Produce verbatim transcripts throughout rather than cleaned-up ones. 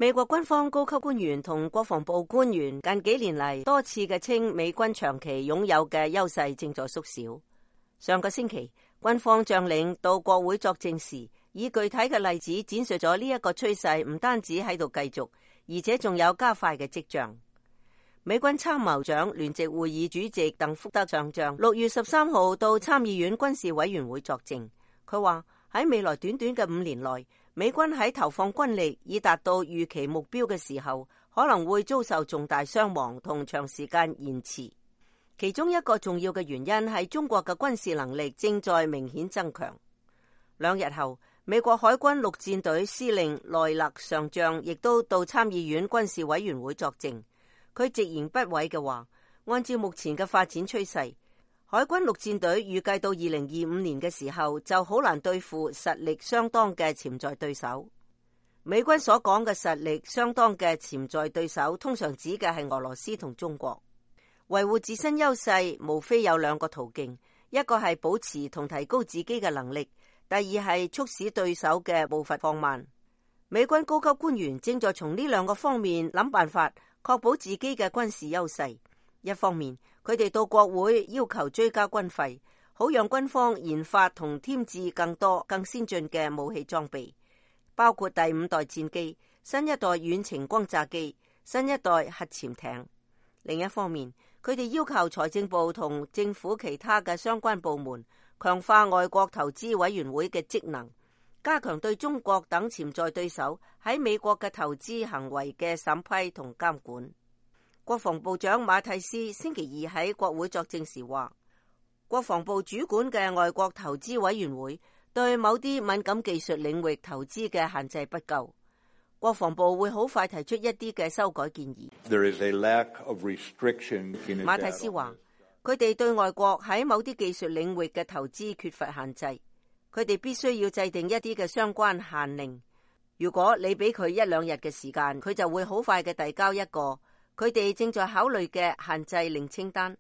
美國軍方高級官員同國防部官員近幾年嚟多次嘅稱，美軍長期擁有嘅優勢正在縮小。上個星期，軍方將領到國會作證時，以具體嘅例子展述咗呢一個趨勢唔單止喺度繼續，而且仲有加快嘅跡象。美軍參謀長聯席會議主席鄧福德上將六月十三號到參議院軍事委員會作證，佢話喺未來短短嘅五年內，美軍喺投放軍力以達到預期目標嘅時候，可能會遭受重大傷亡同長時間延遲。其中一個重要嘅原因係中國嘅軍事能力正在明顯增強。兩日後，美國海軍陸戰隊司令萊勒上將亦都到參議院軍事委員會作證。佢直言不諱嘅話，按照目前嘅發展趨勢，海軍陸戰隊預計到二零二五年嘅時候就好難對付實力相當嘅潛在對手。美軍所講嘅實力相當嘅潛在對手，通常指嘅係俄羅斯同中國。維護自身優勢無非有兩個途徑，一個係保持同提高自己嘅能力，第二係促使對手嘅步伐放慢。美軍高級官員正在從呢兩個方面諗辦法，確保自己嘅軍事優勢。一方面，佢哋到國會要求追加軍費，好讓軍方研發同添置更多更先進嘅武器裝備，包括第五代戰機、新一代遠程轟炸機、新一代核潛艇。另一方面，佢哋要求財政部同政府其他嘅相關部門強化外國投資委員會嘅職能，加強對中國等潛在對手喺美國嘅投資行為嘅審批同監管。國防部長馬蒂斯星期二喺國會作證時話，國防部主管嘅外國投資委員會對某啲敏感技術領域投資嘅限制不夠，國防部會好快提出一啲嘅修改建議。There is a lack of restriction in馬蒂斯話，佢哋對外國喺某啲技術領域嘅投資缺乏限制，佢哋必須要制定一啲嘅相關限令。如果你俾佢一兩日嘅時間，佢就會好快嘅遞交一個佢哋正在考慮嘅限制令清單。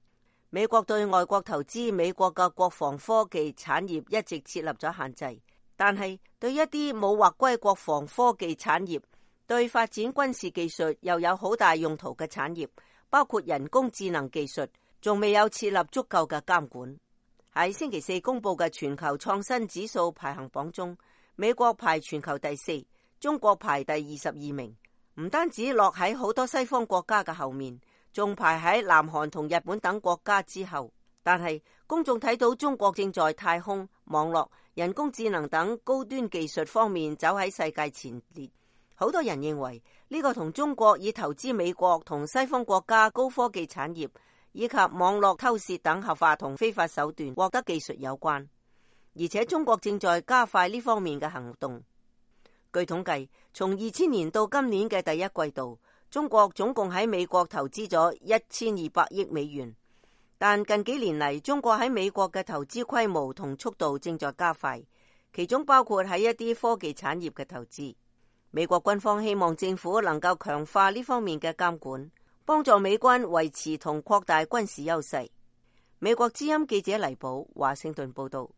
美國對外國投資美國嘅國防科技產業一直設立咗限制，但係對一啲冇劃歸國防科技產業，對發展軍事技術又有好大用途嘅產業，包括人工智能技術，仲未有設立足夠嘅監管。喺星期四公布嘅全球創新指數排行榜中，美國排全球第四，中國排第二十二名，唔單止落喺好多西方國家嘅後面，仲排喺南韓同日本等國家之後。但係公眾睇到中國正在太空、網絡、人工智能等高端技術方面走喺世界前列。好多人認為呢個同中國以投資美國同西方國家高科技產業以及網絡偷竊等合法同非法手段獲得技術有關，而且中國正在加快呢方面嘅行動。據統計，從二千年到今年嘅第一季度，中國總共喺美國投資咗一千二百億美元，但近幾年嚟，中國喺美國嘅投資規模同速度正在加快，其中包括喺一啲科技產業嘅投資。美國軍方希望政府能夠強化呢方面嘅監管，幫助美軍維持同擴大軍事優勢。美國之音記者黎寶華盛頓報道。